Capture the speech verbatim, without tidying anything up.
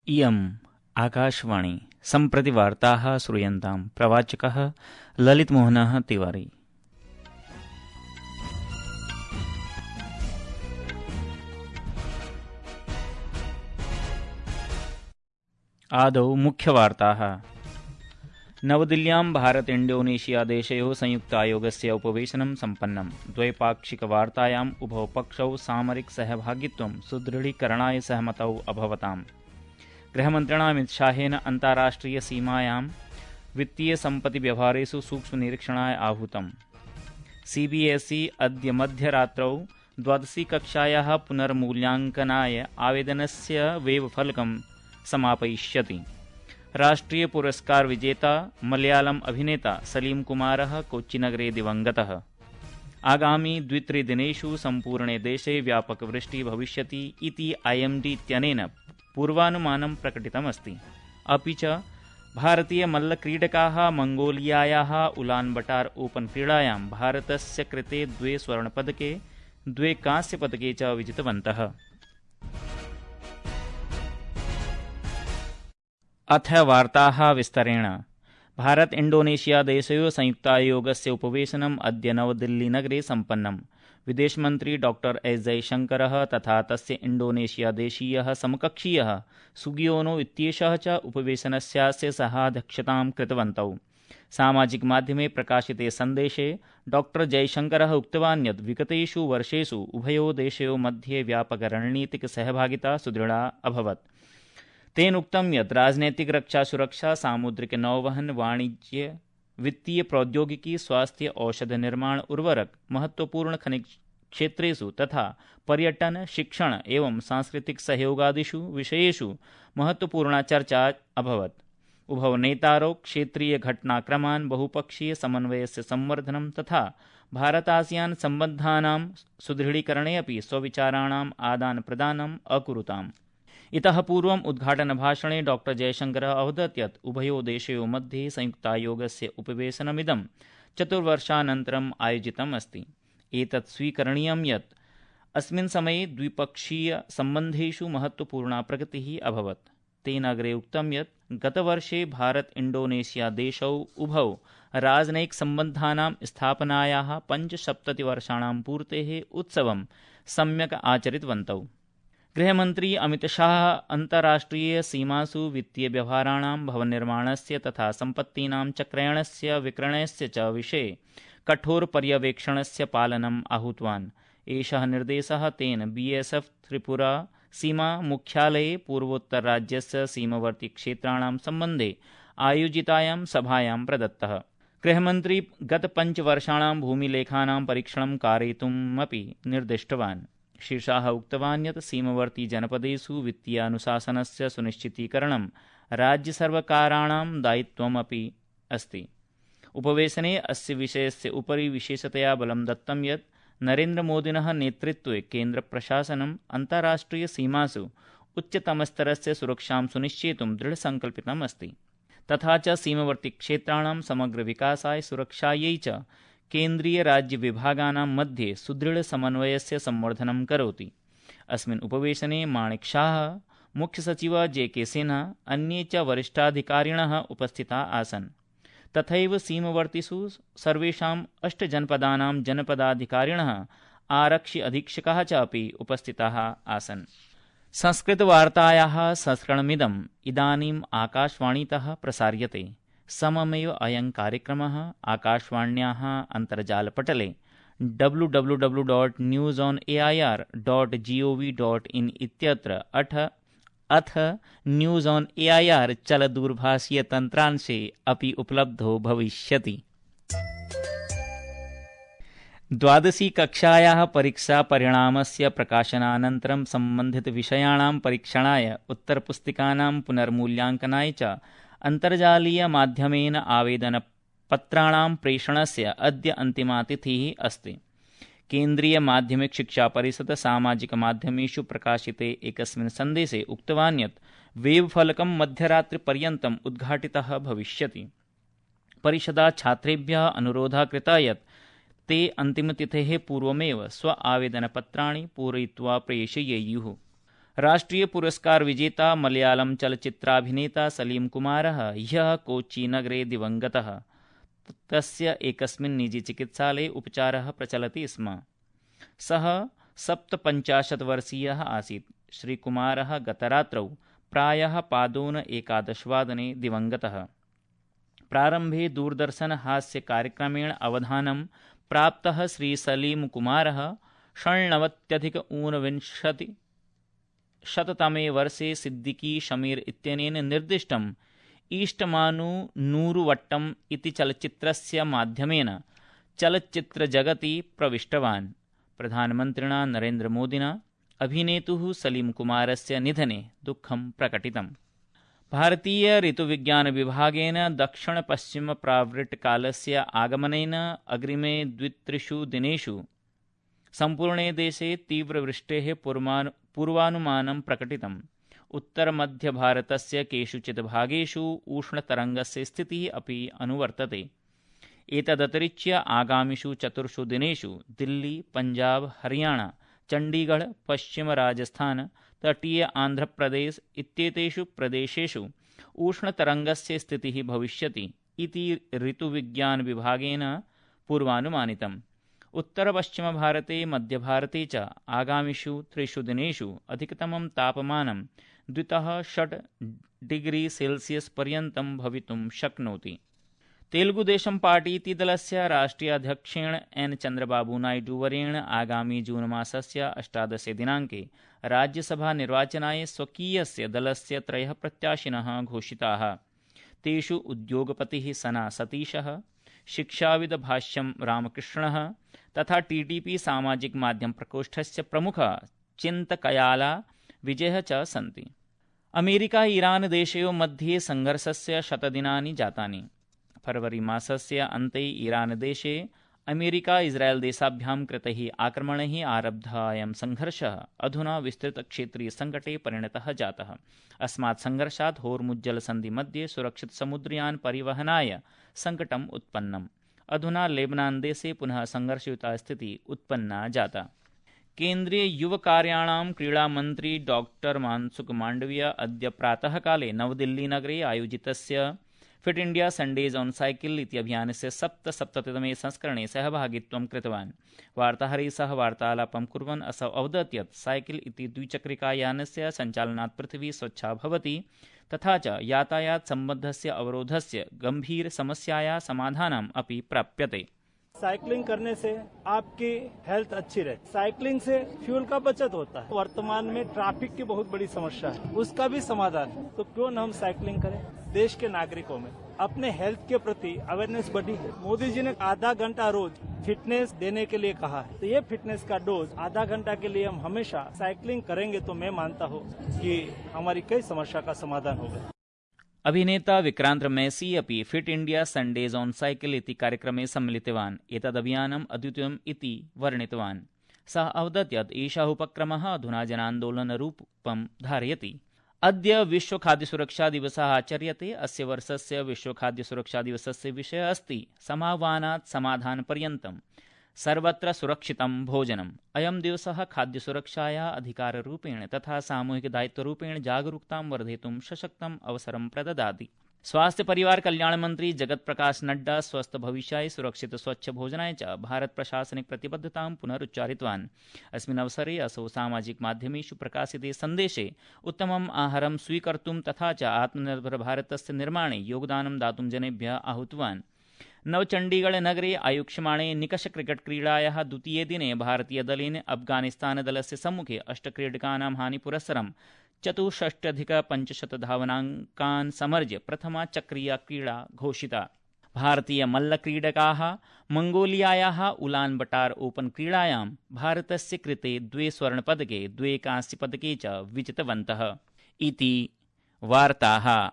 इयम् आकाशवाणी सम्प्रति वार्ताः श्रूयन्तां प्रवाचकः ललितमोहनः तिवारी। आदौ मुख्यवार्ताः। नवदिल्ल्यां भारत इंडोनेशिया देशयोः संयुक्तायोगस्य उपवेशनं सम्पन्नम्। द्वैपाक्षिकवार्तायाम् उभौ पक्षौ सामरिक सहभागित्वं सुदृढीकरणाय सहमतौ अभवताम्। गृहमन्त्रिणा अमितशाहेन अन्ताराष्ट्रिय सीमायां वित्तीय सम्पत्ति व्यवहारेषु सूक्ष्मनिरीक्षणाय आहूतम्। सीबीएसई अद्य मध्यरात्रौ द्वादशी कक्षायाः पुनर्मूल्याङ्कनाय आवेदनस्य वेबफलकं समापयिष्यति। राष्ट्रीय पुरस्कार विजेता मलयालम अभिनेता सलीम कुमारः कोच्चिनगरे दिवङ्गतः। आगामि द्वित्रिदिनेषु सम्पूर्णे देशे व्यापकवृष्टिः भविष्यति इति आईएमडी इत्यनेन पूर्वानुमानं प्रकटितमस्ति। अपि च भारतीयमल्लक्रीडकाः मंगोलियायाः उलानबटार ओपन क्रीडायां भारतस्य कृते द्वे स्वर्णपदके द्वे कांस्यपदके च विजितवन्तः। अथ वार्ताः विस्तरेण। भारत इंडोनेशिया देशयोः संयुक्तायोगस्य उपवेशनम् अद्य नवदिल्लीनगरे सम्पन्नम्। विदेशमन्त्री डॉक्टर एस जयशंकरः तथा तस्य इंडोनेशिया देशीयः समकक्षीयः सुगियोनो इत्येषः च उपवेशनस्यास्य सहाध्यक्षतां कृतवन्तौ। सामाजिकमाध्यमे प्रकाशिते सन्देशे डॉक्टर जयशंकरः उक्तवान् यत् विगतेषु वर्षेषु उभयोः देशयोः मध्ये व्यापकरणनीतिक सहभागिता सुदृढा अभवत्। तेन उक्तं यत् राजनैतिक रक्षा सुरक्षा सामुद्रिक नौवहन वाणिज्य वित्तीय प्रौद्योगिकी स्वास्थ्य औषध निर्माण उर्वरक महत्वपूर्ण खनिज क्षेत्रेषु तथा पर्यटन शिक्षण एवं सांस्कृतिक सहयोगादिषु विषयेषु महत्वपूर्णा चर्चा अभवत्। उभौ नेतारौ क्षेत्रीय घटनाक्रमान् बहुपक्षीय समन्वयस्य संवर्धनं तथा भारतासियान सम्बन्धानां सुदृढीकरणे अपि स्वविचाराणाम् आदान प्रदानम् अकुरुताम्। इतः पूर्वम् उद्घाटनभाषणे डॉक्टर जयशंकरः अवदत् यत् उभयोः देशयोः मध्ये संयुक्तायोगस्य उपवेशनमिदं चतुर्वर्षानन्तरम् आयोजितम् अस्ति। एतत् स्वीकरणीयं यत् अस्मिन् समये द्विपक्षीयसम्बन्धेषु महत्वपूर्णा प्रगतिः अभवत्। तेन अग्रे उक्तं यत् गतवर्षे भारत इंडोनेशिया देशौ उभौ राजनयिकसम्बन्धानां स्थापनायाः पञ्चसप्ततिवर्षाणां पूर्तेः उत्सवं सम्यक् आचरितवन्तौ। गृहमन्त्री अमितशाह अन्ताराष्ट्रिय सीमासु वित्तीय व्यवहाराणां भवननिर्माणस्य तथा सम्पत्तीनां च क्रयणस्य विक्रयणस्य च विषये कठोरपर्यवेक्षणस्य पालनम् आहूतवान्। एषः निर्देशः तेन बीएसएफ त्रिपुरा सीमा मुख्यालये पूर्वोत्तरराज्यस्य सीमवर्ती क्षेत्राणां सम्बन्धे आयोजितायां सभायां प्रदत्तः। गृहमन्त्री गतपञ्चवर्षाणां भूमिलेखानां परीक्षणं कारयितुम् अपि निर्दिष्टवान्। श्री शाह उक्तवान् यत् सीमवर्ती जनपदेषु वित्तीयानुशासनस्य सुनिश्चितीकरणं राज्यसर्वकाराणां दायित्वमपि अस्ति। उपवेशने अस्य विषयस्य उपरि विशेषतया बलं दत्तं यत् नरेन्द्रमोदिनः नेतृत्वे केन्द्रप्रशासनम् अन्ताराष्ट्रियसीमासु उच्चतमस्तरस्य सुरक्षां सुनिश्चेतुं दृढसङ्कल्पितम् अस्ति। तथा च सीमवर्तीक्षेत्राणां समग्रविकासाय सुरक्षायै च केन्द्रीय राज्य विभागानां मध्ये सुदृढसमन्वयस्य संवर्धनं करोति। अस्मिन् उपवेशने माणिक शाह, मुख्यसचिवः जे के सिन्हा, अन्ये च वरिष्ठाधिकारिणः उपस्थिताः आसन्। तथैव सीमवर्तिषु सर्वेषाम् अष्टजनपदानां जनपदाधिकारिणः, आरक्षि अधीक्षकाः च अपि उपस्थिताः आसन्। संस्कृतवार्तायाः संस्करणमिदम् इदानीम् आकाशवाणीतः प्रसार्यते। सममेव अयं कार्यक्रमः आकाशवाण्याः अन्तर्जालपटले W W W dot news on A I R dot G O V dot in इत्यत्र अथ अथ news on A I R चलदूरभाषीयतन्त्रांशे अपि उपलब्धो भविष्यति। द्वादशी कक्षायाः परीक्षापरिणामस्य प्रकाशनानन्तरं सम्बन्धितविषयाणां परीक्षणाय उत्तरपुस्तिकानां पुनर्मूल्याङ्कनाय च अन्तर्जालीयमाध्यमेन आवेदनपत्राणां प्रेषणस्य अद्य अन्तिमा तिथिः अस्ति। केन्द्रीयमाध्यमिकशिक्षापरिषद सामाजिकमाध्यमेषु प्रकाशिते एकस्मिन् सन्देशे उक्तवान् यत् वेबफलकं मध्यरात्रिपर्यन्तम् उद्घाटितः भविष्यति। परिषदा छात्रेभ्यः अनुरोधः कृतः यत् ते अन्तिमतिथेः पूर्वमेव स्व आवेदनपत्राणि पूरयित्वा प्रेषयेयुः। राष्ट्रीय पुरस्कार विजेता मलयालम चलच्चित्राभिनेता सलीम कुमारः ह्यः कोच्चिनगरे दिवङ्गतः। तस्य एकस्मिन् निजीचिकित्सालये उपचारः प्रचलति स्म। सः सप्तपञ्चाशत् वर्षीयः आसीत्। श्रीकुमारः गतरात्रौ प्रायः पादोन एकादशवादने दिवङ्गतः। प्रारम्भे दूरदर्शन हास्य कार्यक्रमेण अवधानं प्राप्तः श्री सलीम कुमारः षण्णवत्यधिक ऊनविंशति शततमे वर्षे सिद्दीकी शमीर इत्यनेन निर्दिष्टम् ईष्टमानु नूरुवट्टम् इति चलच्चित्रस्य माध्यमेन चलच्चित्रजगति प्रविष्टवान्। प्रधानमन्त्रिणा नरेन्द्रमोदिना अभिनेतुः सलीम कुमारस्य निधने दुःखं प्रकटितम्। भारतीय ऋतुविज्ञानविभागेन दक्षिणपश्चिमप्रावृट्कालस्य आगमनेन अग्रिमे द्वित्रिषु दिनेषु सम्पूर्णे देशे तीव्रवृष्टेः पूर्वानुमानं प्रकटितम्। उत्तरमध्यभारतस्य केषुचित् भागेषु उष्णतरङ्गस्य स्थितिः अपि अनुवर्तते। एतदतिरिच्य आगामिषु चतुर्षु दिनेषु दिल्ली, पञ्जाब, हरियाणा, चण्डीगढ़, पश्चिमराजस्थान, तटीय आन्ध्रप्रदेश इत्येतेषु प्रदेशेषु उष्णतरङ्गस्य स्थितिः भविष्यति इति ऋतुविज्ञानविभागेन पूर्वानुमानितम्। उत्तरपश्चिमभारते, मध्यभारते च आगामिषु त्रिषु दिनेषु अधिकतमं तापमानं द्वितः षट् डिग्री सेल्सियस् पर्यन्तं भवितुं शक्नोति। तेलुगुदेशं पार्टी इति दलस्य राष्ट्रीयाध्यक्षेण एन चन्द्रबाबू नायडू वर्येण आगामी जून मासस्य अष्टादशे दिनाङ्के राज्यसभानिर्वाचनाय स्वकीयस्य दलस्य त्रयः प्रत्याशिनः घोषिताः। तेषु उद्योगपतिः सना सतीशः, शिक्षाविद भाष्यं रामकृष्णः तथा टीडीपी सामाजिक माध्यम प्रकोष्ठस्य प्रमुखः चिन्तकयाला विजयः च सन्ति। अमेरिका ईरान देशयोः मध्ये संघर्षस्य शतदिनानि जातानि। फरवरी मासस्य अन्ते ईरान देशे अमेरिका इस्राएल देशाभ्यां कृतैः आक्रमणैः आरब्धः अयं संघर्षः अधुना विस्तृतक्षेत्रीयसङ्कटे परिणतः जातः। अस्मात् संघर्षात् होर्मुज्जलसन्धि मध्ये सुरक्षित समुद्रयान परिवहनाय सङ्कटम् उत्पन्नम्। अधुना लेबनान देशे पुनः संघर्षयुता स्थितिः उत्पन्ना जाता। केन्द्रीय युवकार्याणां क्रीडामन्त्री डॉक्टर मानसुख मांडविय अद्य प्रातःकाले नवदिल्लीनगरे आयोजितस्य Fit India Sundays on cycle इति अभियानस्य सप्तसप्ततितमे संस्करणे सहभागित्वं कृतवान्। वार्ताहरैः सह वार्तालापं कुर्वन् असौ अवदत् यत् साइकिल इति द्विचक्रिकायानस्य सञ्चालनात् पृथिवी स्वच्छा भवति तथा च यातायातसम्बद्धस्य अवरोधस्य गम्भीरसमस्यायाः समाधानम् अपि प्राप्यते। साइकिलिंग करने से आपकी हेल्थ अच्छी रहती। साइकिलिंग से फ्यूल का बचत होता है। वर्तमान में ट्रैफिक की बहुत बड़ी समस्या है, उसका भी समाधान है। तो क्यों न हम साइकिलिंग करें। देश के नागरिकों में अपने हेल्थ के प्रति अवेयरनेस बढ़ी है। मोदी जी ने आधा घंटा रोज फिटनेस देने के लिए कहा है, तो ये फिटनेस का डोज आधा घंटा के लिए हम हमेशा साइकिलिंग करेंगे तो मैं मानता हूँ कि हमारी कई समस्या का समाधान होगा। अभिनेता विक्रांत मैसी अपि fit India Sundays on cycle इति कार्यक्रमे सम्मिलितवान्। एतदभियानम् अद्वितीयम् इति वर्णितवान्। सः अवदत् यत् एषः उपक्रमः अधुना जनान्दोलनरूपं धारयति। अद्य विश्वखाद्यसुरक्षादिवसः आचर्यते। अस्य वर्षस्य विश्वखाद्यसुरक्षादिवसस्य विषयः अस्ति समाह्वानात् समाधानपर्यन्तं सर्वत्र सुरक्षितं भोजनम्। अयं दिवसः खाद्यसुरक्षायाः अधिकाररूपेण तथा सामूहिकदायित्वरूपेण जागरूकतां वर्धयितुं सशक्तम् अवसरं प्रददाति। स्वास्थ्य परिवार कल्याण मंत्री जगत प्रकाश नड्डा स्वस्थ भविष्याय सुरक्षित स्वच्छ भोजनाय च भारत प्रशासनिक प्रतिबद्धतां पुनरुच्चारितवान्। अस्मिन् अवसरे असौ सामाजिक माध्यमेषु प्रकाशिते सन्देशे उत्तमम् आहारं स्वीकर्तुं तथा च आत्मनिर्भर भारतस्य निर्माणे योगदानं दातुं जनेभ्यः आहूतवान्। नवचण्डीगढ़ नगरे आयोक्ष्यमाणे निकष क्रिकेट क्रीडायाः द्वितीये दिने भारतीयदलेन अफगानिस्तान दलस्य सम्मुखे अष्टक्रीडकानां हानिपुरस्सरं चतुष्षष्ट्यधिकपञ्चशतधावनाङ्कान् समर्ज्य प्रथमा चक्रीया क्रीडा घोषिता। भारतीयमल्लक्रीडकाः मंगोलियायाः उलान बटार ओपन क्रीडायां भारतस्य कृते द्वे स्वर्णपदके द्वे कांस्यपदके च विजितवन्तः। इति वार्ताः।